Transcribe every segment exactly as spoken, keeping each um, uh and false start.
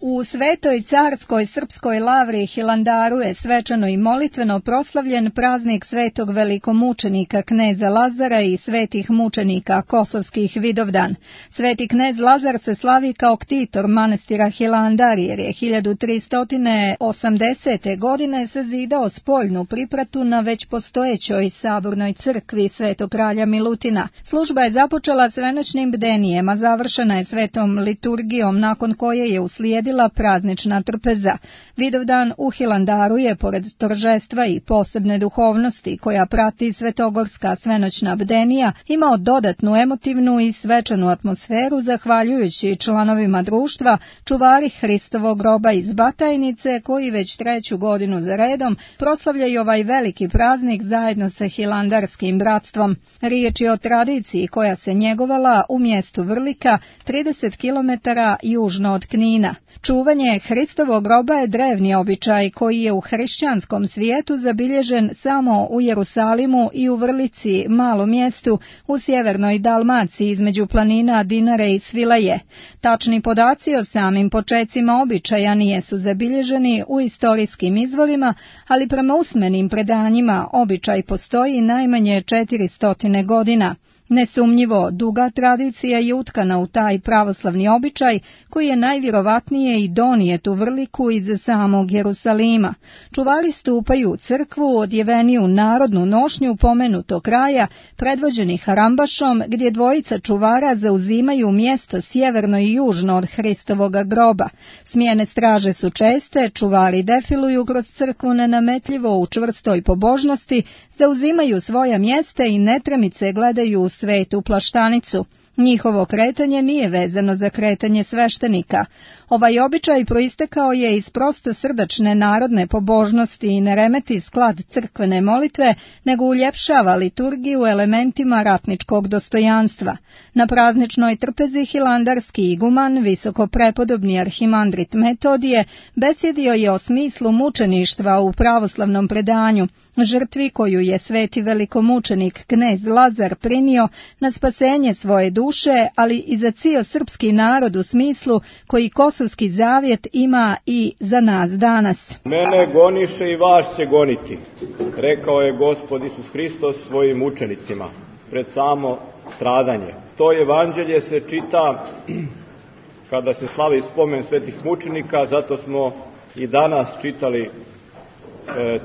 U Svetoj carskoj srpskoj lavri Hilandaru je svečano i molitveno proslavljen praznik svetog velikomučenika kneza Lazara i svetih mučenika kosovskih Vidovdan. Sveti knez Lazar se slavi kao ktitor manastira Hilandar jer je hiljadu tristo osamdesete. godine sazidao spoljnu pripratu na već postojećoj sabornoj crkvi Svetog kralja Milutina. Služba je započela s venečnim bdenijem, a završena je svetom liturgijom nakon koje je uslijedila praznična trpeza. Vidovdan u Hilandaru je, pored toržestva i posebne duhovnosti koja prati svetogorska svenoćna bdenija, imao dodatnu emotivnu i svečanu atmosferu zahvaljujući članovima društva čuvari Hristovog groba iz Batajnice koji već treću godinu za redom proslavljaju ovaj veliki praznik zajedno sa hilandarskim bratstvom. Riječ je o tradiciji koja se njegovala u mjestu Vrlika, trideset kilometara južno od Knina. Čuvanje Hristovog groba je drevni običaj koji je u hrišćanskom svijetu zabilježen samo u Jerusalimu i u Vrlici, malom mjestu u sjevernoj Dalmaciji između planina Dinare i Svilaje. Tačni podaci o samim počecima običaja nijesu zabilježeni u istorijskim izvorima, ali prema usmenim predanjima običaj postoji najmanje četiristo godina. Nesumnjivo, duga tradicija je utkana u taj pravoslavni običaj koji je najvjerovatnije i donijet u Vrliku iz samog Jerusalima. Čuvari stupaju u crkvu odjeveni u narodnu nošnju pomenutog kraja, predvođeni harambašom, gdje dvojica čuvara zauzimaju mjesto sjeverno i južno od Hristovoga groba. Smjene straže su česte, čuvari defiluju kroz crkvu nenametljivo u čvrstoj pobožnosti, zauzimaju svoja mjesta i netremice gledaju u svetu plaštanicu. Njihovo kretanje nije vezano za kretanje sveštenika. Ovaj običaj proistekao je iz prosto srdačne narodne pobožnosti i ne remeti sklad crkvene molitve, nego uljepšava liturgiju elementima ratničkog dostojanstva. Na prazničnoj trpezi hilandarski iguman, visoko prepodobni arhimandrit Metodije, besjedio je o smislu mučeništva u pravoslavnom predanju, žrtvi koju je sveti velikomučenik knez Lazar prinio na spasenje svoje duše, ali i za cijel srpski narod u smislu koji Kosovski zavjet ima i za nas danas. Mene goniše i vas će goniti, rekao je Gospod Isus Hristos svojim učenicima pred samo stradanje. To evanđelje se čita kada se slavi spomen svetih mučenika, zato smo i danas čitali e,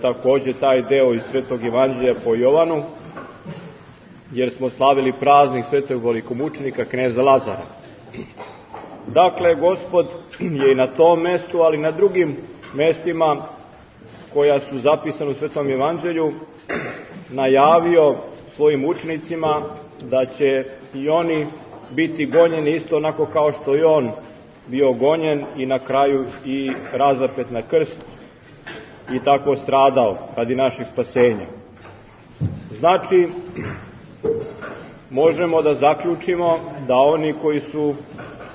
također taj deo iz svetog evanđelja po Jovanu, jer smo slavili praznik svetog velikomučenika kneza Lazara. Dakle, Gospod je i na tom mjestu, ali i na drugim mjestima koja su zapisana u svetom evanđelju najavio svojim učenicima da će i oni biti gonjeni isto onako kao što je on bio gonjen i na kraju i razapet na krst i tako stradao radi naših spasenja. Znači, možemo da zaključimo da oni koji su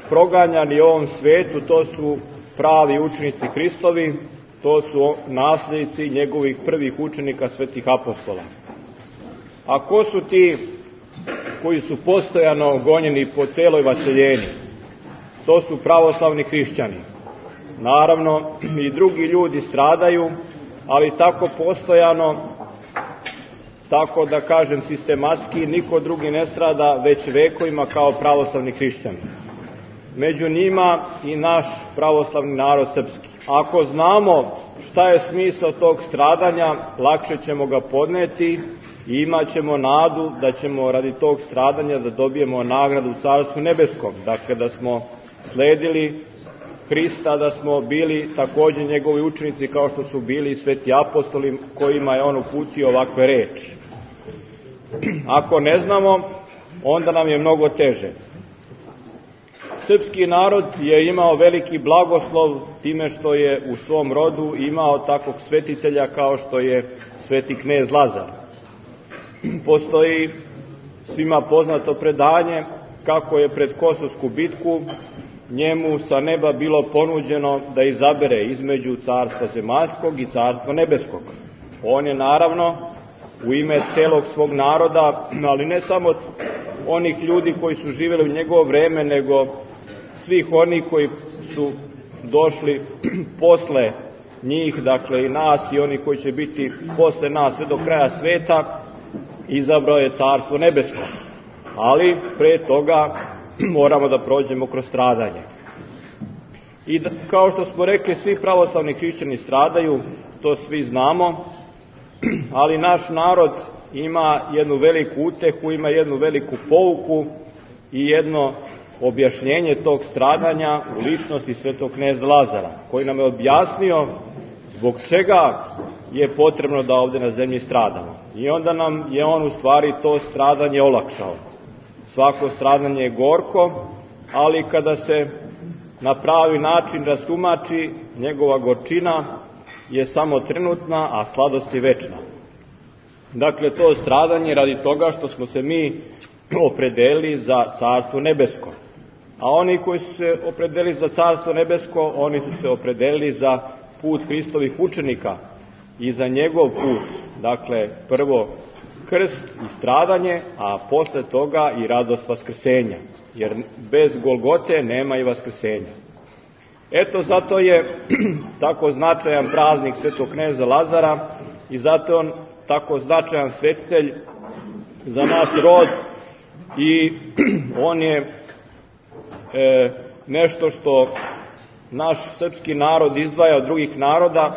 proganjani u ovom svijetu, to su pravi učenici Hristovi, to su nasljednici njegovih prvih učenika svetih apostola. A ko su ti koji su postojano gonjeni po celoj vaseljeni? To su pravoslavni hrišćani. Naravno, i drugi ljudi stradaju, ali tako postojano, tako da kažem sistematski, niko drugi ne strada već vekovima kao pravoslavni hrišćani. Među njima i naš pravoslavni narod srpski. Ako znamo šta je smisao tog stradanja, lakše ćemo ga podneti i imat ćemo nadu da ćemo radi tog stradanja da dobijemo nagradu u Carstvu nebeskom. Dakle, da smo sledili Hrista, da smo bili također njegovi učenici kao što su bili sveti apostoli kojima je on uputio ovakve reči. Ako ne znamo, onda nam je mnogo teže. Srpski narod je imao veliki blagoslov time što je u svom rodu imao takvog svetitelja kao što je sveti knez Lazar. Postoji svima poznato predanje kako je pred Kosovsku bitku njemu sa neba bilo ponuđeno da izabere između carstva zemaljskog i carstva nebeskog. On je naravno u ime celog svog naroda, ali ne samo onih ljudi koji su živjeli u njegovo vreme, nego svih onih koji su došli posle njih, dakle i nas i oni koji će biti posle nas sve do kraja sveta, izabrao je Carstvo nebesko. Ali pre toga moramo da prođemo kroz stradanje. I da, kao što smo rekli, svi pravoslavni hrišćani stradaju, to svi znamo, ali naš narod ima jednu veliku utehu, ima jednu veliku pouku i jedno objašnjenje tog stradanja u ličnosti svetog kneza Lazara, koji nam je objasnio zbog čega je potrebno da ovde na zemlji stradamo. I onda nam je on u stvari to stradanje olakšao. Svako stradanje je gorko, ali kada se na pravi način rastumači, njegova gorčina je samo trenutna, a sladost je večna. Dakle, to stradanje radi toga što smo se mi opredelili za Carstvo nebesko. A oni koji su se opredelili za Carstvo nebesko, oni su se opredelili za put Hristovih učenika i za njegov put. Dakle, prvo krst i stradanje, a posle toga i radost vaskrsenja. Jer bez Golgote nema i vaskrsenja. Eto, zato je tako značajan praznik svetog kneza Lazara i zato je on tako značajan svetitelj za naš rod i on je e, nešto što naš srpski narod izdvaja od drugih naroda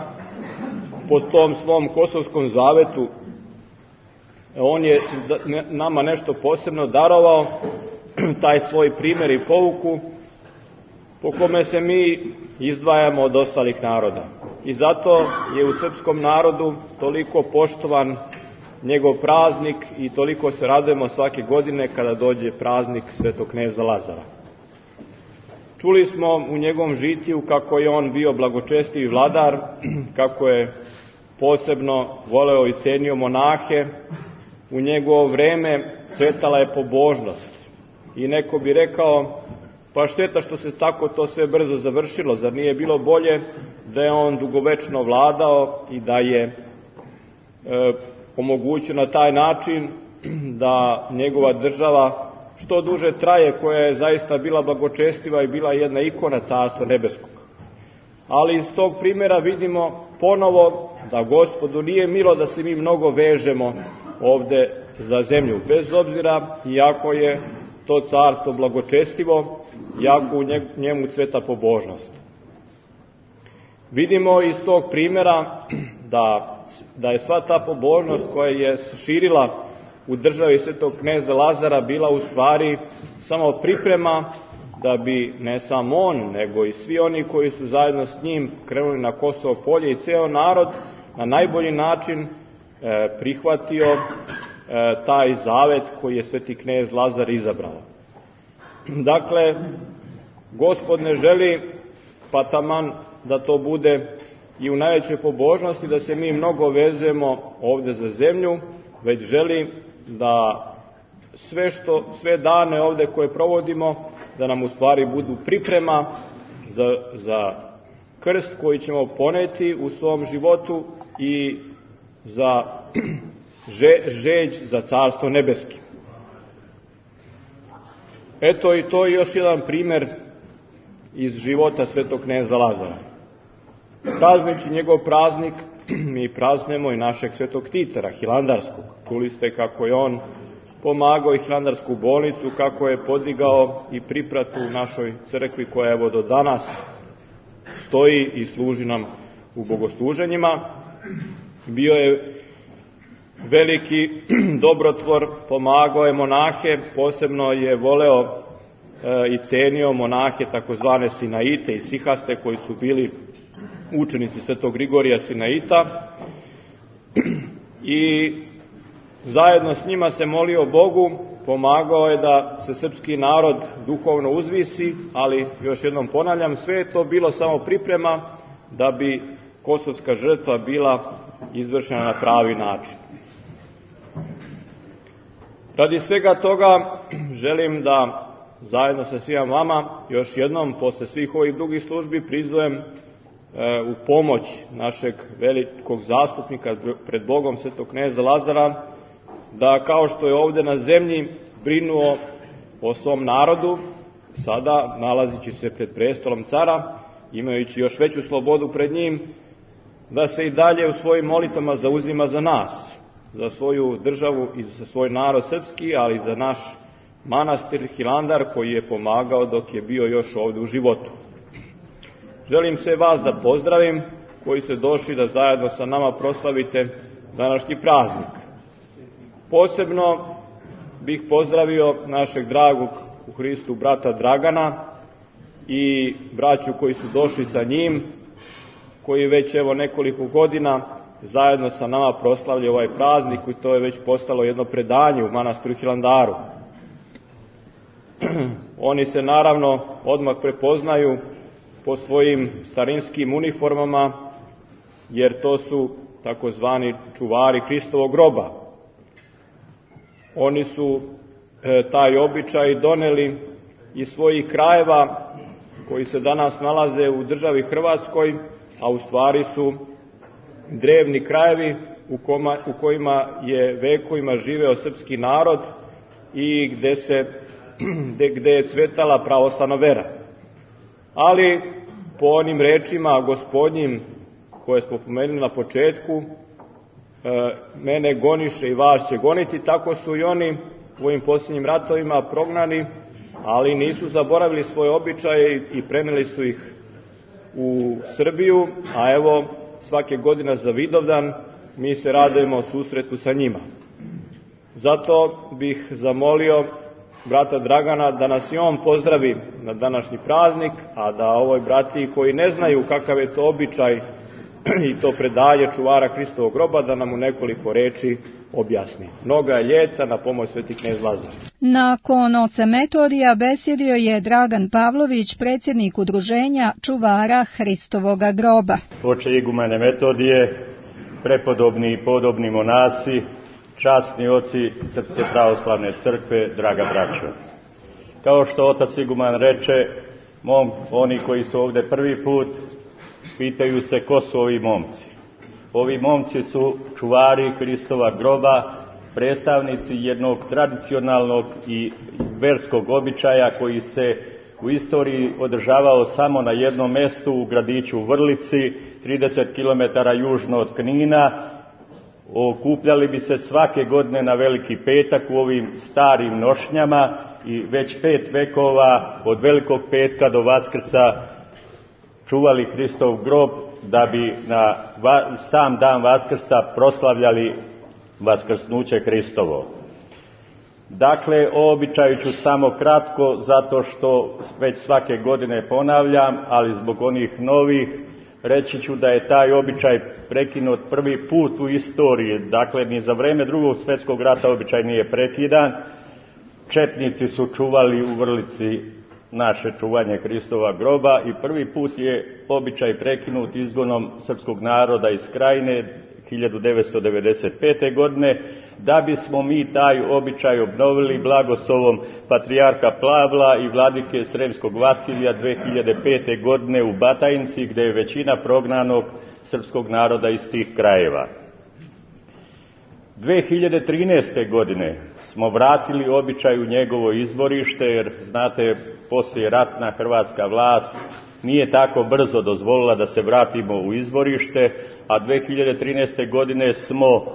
po tom svom kosovskom zavetu. On je nama nešto posebno darovao, taj svoj primjer i pouku po kome se mi izdvajamo od ostalih naroda. I zato je u srpskom narodu toliko poštovan njegov praznik i toliko se radujemo svake godine kada dođe praznik svetog kneza Lazara. Čuli smo u njegovom žitiju kako je on bio blagočestiv vladar, kako je posebno voleo i cenio monahe. U njegovo vreme cvetala je pobožnost. I neko bi rekao, pa šteta što se tako to sve brzo završilo, zar nije bilo bolje da je on dugovečno vladao i da je e, omogućio na taj način da njegova država što duže traje, koja je zaista bila blagočestiva i bila jedna ikona Carstva nebeskog. Ali iz tog primjera vidimo ponovo da Gospodu nije milo da se mi mnogo vežemo ovde za zemlju, bez obzira iako je to carstvo blagočestivo, jako u njemu cveta pobožnost. Vidimo iz tog primjera da, da je sva ta pobožnost koja je širila u državi svetog kneza Lazara bila u stvari samo priprema da bi ne samo on, nego i svi oni koji su zajedno s njim krenuli na Kosovo polje i ceo narod na najbolji način e, prihvatio e, taj zavet koji je sveti knez Lazar izabrao. Dakle, Gospod ne želi pa taman da to bude i u najvećoj pobožnosti, da se mi mnogo vezujemo ovde za zemlju, već želi da sve, što, sve dane ovde koje provodimo, da nam u stvari budu priprema za, za krst koji ćemo poneti u svom životu i za že, žeđ za Carstvo nebesko. Eto i to je još jedan primjer iz života svetog kneza Lazara. Prazniči njegov praznik, mi praznujemo i našeg svetog Titara, hilandarskog. Čuli ste kako je on pomagao i hilandarsku bolnicu, kako je podigao i pripratu u našoj crkvi koja evo do danas stoji i služi nam u bogosluženjima. Bio je veliki dobrotvor, pomagao je monahe, posebno je voleo e, i cenio monahe takozvane Sinaite i Sihaste koji su bili učenici svetog Grigorija Sinaita i zajedno s njima se molio Bogu, pomagao je da se srpski narod duhovno uzvisi, ali još jednom ponavljam, sve je to bilo samo priprema da bi kosovska žrtva bila izvršena na pravi način. Radi svega toga želim da zajedno sa svima vama još jednom posle svih ovih drugih službi prizovem e, u pomoć našeg velikog zastupnika pred Bogom svetog kneza Lazara, da kao što je ovde na zemlji brinuo o svom narodu, sada nalazići se pred prestolom cara, imajući još veću slobodu pred njim, da se i dalje u svojim molitvama zauzima za nas, za svoju državu i za svoj narod srpski, ali i za naš manastir Hilandar koji je pomagao dok je bio još ovdje u životu. Želim sve vas da pozdravim koji ste došli da zajedno sa nama proslavite današnji praznik. Posebno bih pozdravio našeg dragog u Hristu brata Dragana i braću koji su došli sa njim, koji već evo nekoliko godina zajedno sa nama proslavljaju ovaj praznik i to je već postalo jedno predanje u manastiru Hilandaru. Oni se naravno odmah prepoznaju po svojim starinskim uniformama, jer to su takozvani čuvari Hristovog groba. Oni su e, taj običaj doneli iz svojih krajeva koji se danas nalaze u državi Hrvatskoj, a u stvari su drevni krajevi u, koma, u kojima je vekovima živeo srpski narod i gde, se, gde, gde je cvetala pravoslavna vera. Ali po onim rečima gospodnjim koje smo pomenuli na početku, e, mene goniše i vas će goniti, tako su i oni u ovim posljednjim ratovima prognani, ali nisu zaboravili svoje običaje i preneli su ih u Srbiju, a evo svake godine za Vidovdan mi se radujemo susretu sa njima. Zato bih zamolio brata Dragana da nas i on pozdravi na današnji praznik, a da ovoj bratiji koji ne znaju kakav je to običaj i to predaje čuvara Hristovog groba, da nam u nekoliko reči objasni. Mnoga je ljeta, na pomoć sveti knez Lazar. Nakon oca Metodija besjedio je Dragan Pavlović, predsjednik udruženja čuvara Hristovoga groba. Oče igumene Metodije, prepodobni i podobni monasi, časni oci Srpske pravoslavne crkve, draga braćo. Kao što otac iguman reče, mom, oni koji su ovdje prvi put, pitaju se ko su ovi momci. Ovi momci su čuvari Hristova groba, predstavnici jednog tradicionalnog i verskog običaja koji se u istoriji održavao samo na jednom mjestu u gradiću Vrlici, trideset kilometara južno od Knina. Okupljali bi se svake godine na Veliki petak u ovim starim nošnjama i već pet vekova od Velikog petka do Vaskrsa čuvali Hristov grob da bi na sam dan Vaskrsa proslavljali vaskrsnuće Hristovo. Dakle, o običaju ću samo kratko, zato što već svake godine ponavljam, ali zbog onih novih reći ću da je taj običaj prekinut prvi put u istoriji. Dakle, ni za vreme Drugog svjetskog rata običaj nije prekidan. Četnici su čuvali u Vrlici naše čuvanje Hristova groba i prvi put je običaj prekinut izgonom srpskog naroda iz Krajine hiljadu devetsto devedeset pete. godine, da bismo mi taj običaj obnovili blagoslovom patrijarha Pavla i vladike Sremskog Vasilija dve hiljade pete. godine u Batajnici, gdje je većina prognanog srpskog naroda iz tih krajeva. dve hiljade trinaeste. godine smo vratili običaj u njegovo izvorište, jer znate, poslije ratna hrvatska vlast nije tako brzo dozvolila da se vratimo u izvorište, a dve hiljade trinaeste. godine smo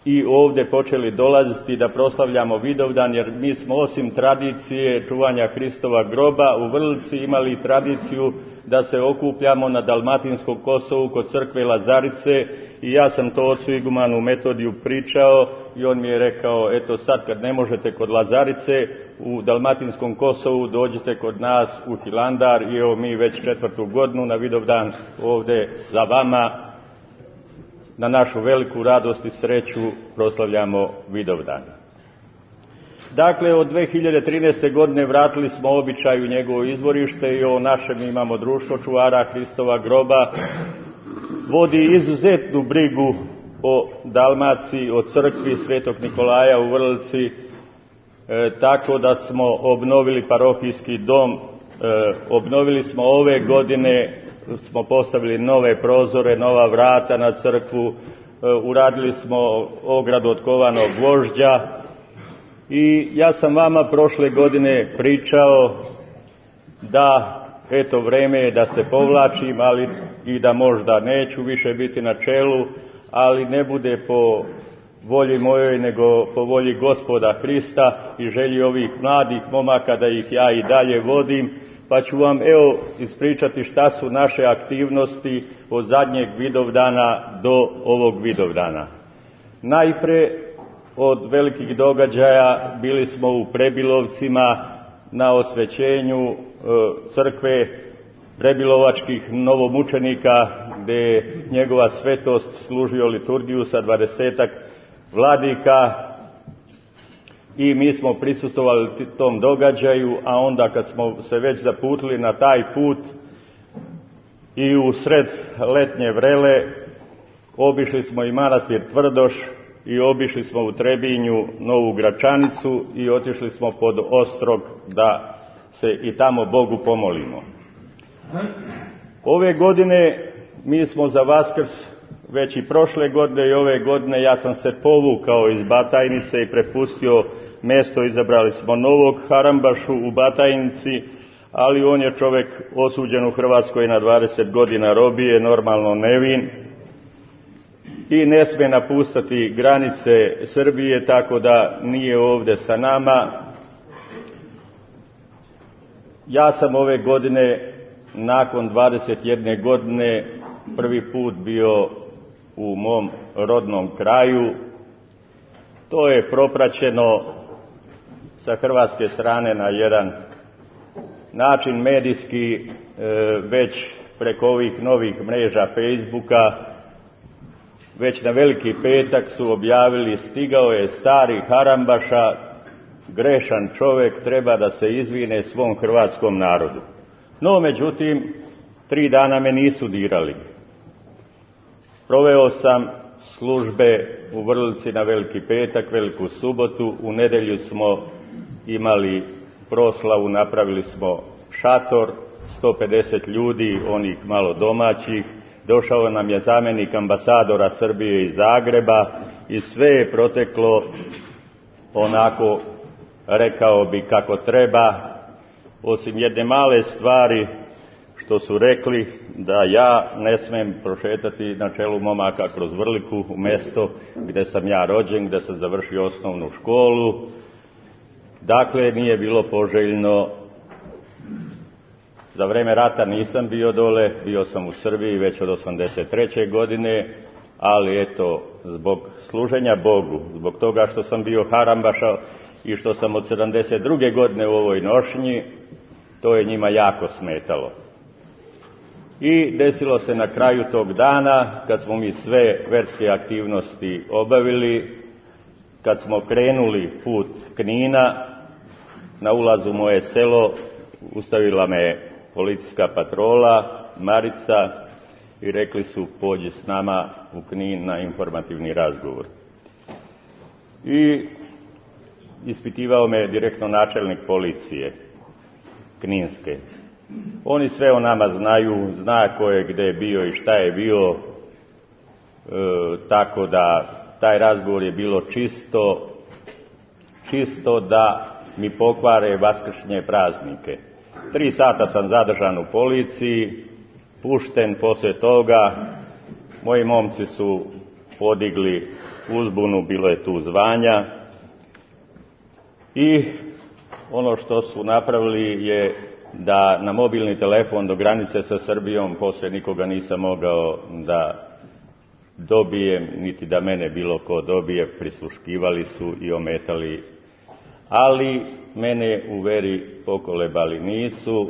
i ovdje počeli dolaziti da proslavljamo Vidovdan, jer mi smo osim tradicije čuvanja Hristova groba u Vrlici imali tradiciju da se okupljamo na Dalmatinskom Kosovu kod crkve Lazarice, i ja sam to ocu igumanu Metodiju pričao i on mi je rekao, eto sad kad ne možete kod Lazarice u Dalmatinskom Kosovu, dođite kod nas u Hilandar, i evo mi već četvrtu godinu na Vidovdan ovdje za vama na našu veliku radost i sreću proslavljamo Vidovdan. Dakle, od dve hiljade trinaeste. godine vratili smo običaj u njegovo izvorište i o našem imamo društvo čuvara Hristova groba. Vodi izuzetnu brigu o Dalmaciji, o crkvi Svetog Nikolaja u Vrlici, e, tako da smo obnovili parohijski dom, e, obnovili smo ove godine, smo postavili nove prozore, nova vrata na crkvu, e, uradili smo ogradu od kovanog gvožđa. I ja sam vama prošle godine pričao da eto vreme je da se povlačim, ali i da možda neću više biti na čelu, ali ne bude po volji mojoj, nego po volji Gospoda Hrista i želji ovih mladih momaka da ih ja i dalje vodim, pa ću vam evo ispričati šta su naše aktivnosti od zadnjeg Vidovdana do ovog Vidovdana. Najpre od velikih događaja bili smo u Prebilovcima na osvećenju e, crkve prebilovačkih novomučenika, gde je njegova svetost služio liturgiju sa dvadesetak vladika i mi smo prisustvovali tom događaju, a onda kad smo se već zaputili na taj put i u sred letnje vrele obišli smo i manastir Tvrdoš i obišli smo u Trebinju Novu Gračanicu i otišli smo pod Ostrog da se i tamo Bogu pomolimo. Ove godine mi smo za Vaskrs, već i prošle godine i ove godine, ja sam se povukao iz Batajnice i prepustio mesto, izabrali smo novog Harambašu u Batajnici, ali on je čovjek osuđen u Hrvatskoj na dvadeset godina robije, normalno nevin, i ne sme napustiti granice Srbije, tako da nije ovdje sa nama. Ja sam ove godine, nakon dvadeset jedne godine, prvi put bio u mom rodnom kraju. To je propraćeno sa hrvatske strane na jedan način medijski, već preko ovih novih mreža Facebooka. Već na Veliki petak su objavili: stigao je stari Harambaša, grešan čovjek, treba da se izvine svom hrvatskom narodu. No, međutim, tri dana me nisu dirali. Proveo sam službe u Vrlici na Veliki petak, Veliku subotu, u nedjelju smo imali proslavu, napravili smo šator, sto pedeset ljudi, onih malo domaćih. Došao nam je zamjenik ambasadora Srbije iz Zagreba i sve je proteklo onako, rekao bi, kako treba, osim jedne male stvari što su rekli da ja ne smem prošetati na čelu momaka kroz Vrliku, u mjesto gdje sam ja rođen, gdje sam završio osnovnu školu. Dakle, nije bilo poželjno. Za vreme rata nisam bio dole, bio sam u Srbiji već od osamdeset treće godine, ali eto, zbog služenja Bogu, zbog toga što sam bio Harambaša i što sam od sedamdeset druge godine u ovoj nošnji, to je njima jako smetalo. I desilo se na kraju tog dana, kad smo mi sve verske aktivnosti obavili, kad smo krenuli put Knina, na ulazu u moje selo ustavila me policijska patrola, Marica, i rekli su: pođi s nama u Knin na informativni razgovor. I ispitivao me direktno načelnik policije Kninske. Oni sve o nama znaju, zna ko je gdje bio i šta je bio, e, tako da taj razgovor je bilo čisto, čisto da mi pokvare vaskršnje praznike. Tri sata sam zadržan u policiji, pušten poslije toga. Moji momci su podigli uzbunu, bilo je tu zvanja. I ono što su napravili je da na mobilni telefon do granice sa Srbijom, poslije nikoga nisam mogao da dobijem, niti da mene bilo ko dobije, prisluškivali su i ometali. Ali mene u veri pokolebali nisu.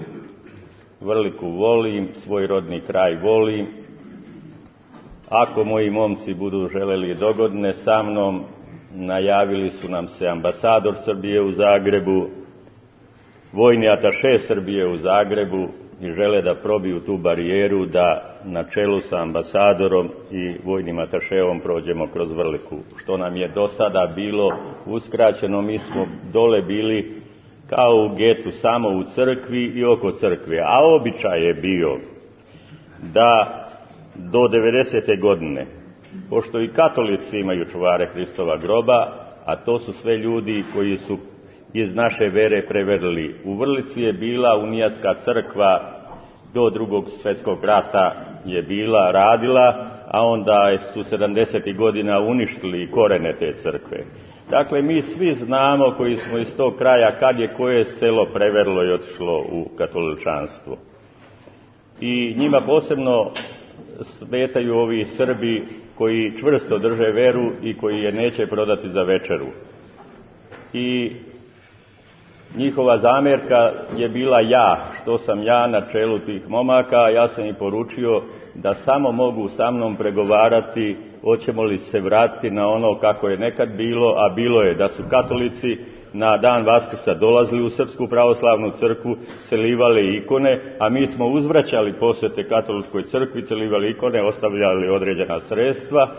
Vrliku volim, svoj rodni kraj volim. Ako moji momci budu želeli dogodine sa mnom, najavili su nam se ambasador Srbije u Zagrebu, vojni ataše Srbije u Zagrebu, i žele da probiju tu barijeru, da na čelu sa ambasadorom i vojnim ataševom prođemo kroz Vrliku, što nam je do sada bilo uskraćeno. Mi smo dole bili kao u getu, samo u crkvi i oko crkve, a običaj je bio da do devedesete godine, pošto i katolici imaju čuvare Hristova groba, a to su sve ljudi koji su iz naše vere preverili. U Vrlici je bila unijatska crkva do drugog svjetskog rata je bila, radila, a onda su sedamdesetih godina uništili korene te crkve. Dakle, mi svi znamo koji smo iz tog kraja kad je koje selo preverilo i otišlo u katoličanstvo. I njima posebno smetaju ovi Srbi koji čvrsto drže veru i koji je neće prodati za večeru. I njihova zamjerka je bila ja, što sam ja na čelu tih momaka. Ja sam im poručio da samo mogu sa mnom pregovarati hoćemo li se vratiti na ono kako je nekad bilo, a bilo je da su katolici na dan Vaskrsa dolazili u Srpsku pravoslavnu crkvu, celivali ikone, a mi smo uzvraćali posvete katoličkoj crkvi, celivali ikone, ostavljali određena sredstva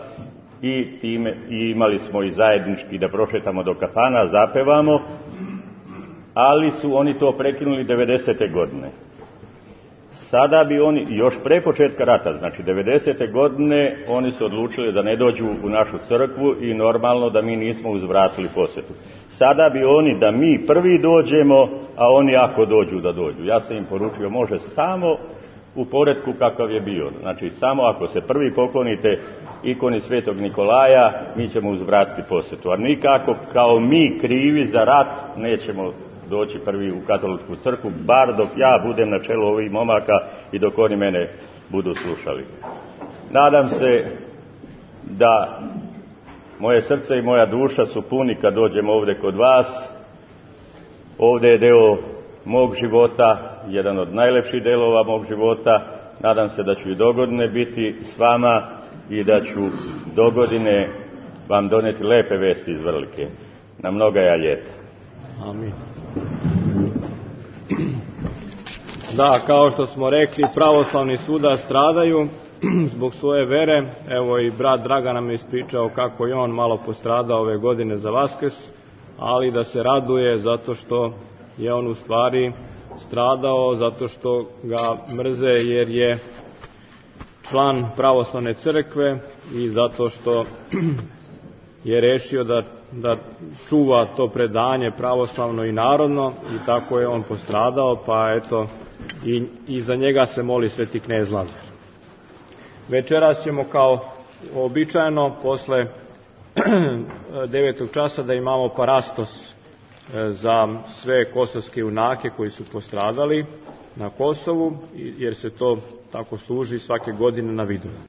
i time i imali smo i zajednički da prošetamo do kafana, zapevamo, ali su oni to prekinuli devedesete godine. Sada bi oni, još pre početka rata, znači devedesete godine, oni su odlučili da ne dođu u našu crkvu i normalno da mi nismo uzvratili posjetu. Sada bi oni da mi prvi dođemo, a oni ako dođu da dođu. Ja sam im poručio, može samo u poretku kakav je bio. Znači samo ako se prvi poklonite ikoni Svetog Nikolaja, mi ćemo uzvratiti posjetu. A nikako kao mi krivi za rat nećemo doći prvi u katoličku crkvu, bar dok ja budem na čelu ovih momaka i dok oni mene budu slušali. Nadam se da moje srce i moja duša su puni kad dođem ovdje kod vas. Ovdje je deo mog života, jedan od najlepših delova mog života. Nadam se da ću i dogodine biti s vama i da ću dogodine vam doneti lepe vesti iz Vrlike na mnogaja ljeta. Amin. Da, kao što smo rekli, pravoslavni svuda stradaju zbog svoje vere. Evo i brat Dragan nam je ispričao kako je on malo postradao ove godine za Vaskrs, ali da se raduje zato što je on u stvari stradao, zato što ga mrze jer je član pravoslavne crkve i zato što je rešio da, da čuva to predanje pravoslavno i narodno i tako je on postradao, pa eto i, i za njega se moli sveti knez Lazar. Večeras ćemo kao običajno posle devetog časa da imamo parastos za sve kosovske junake koji su postradali na Kosovu, jer se to tako služi svake godine na Vidovdan.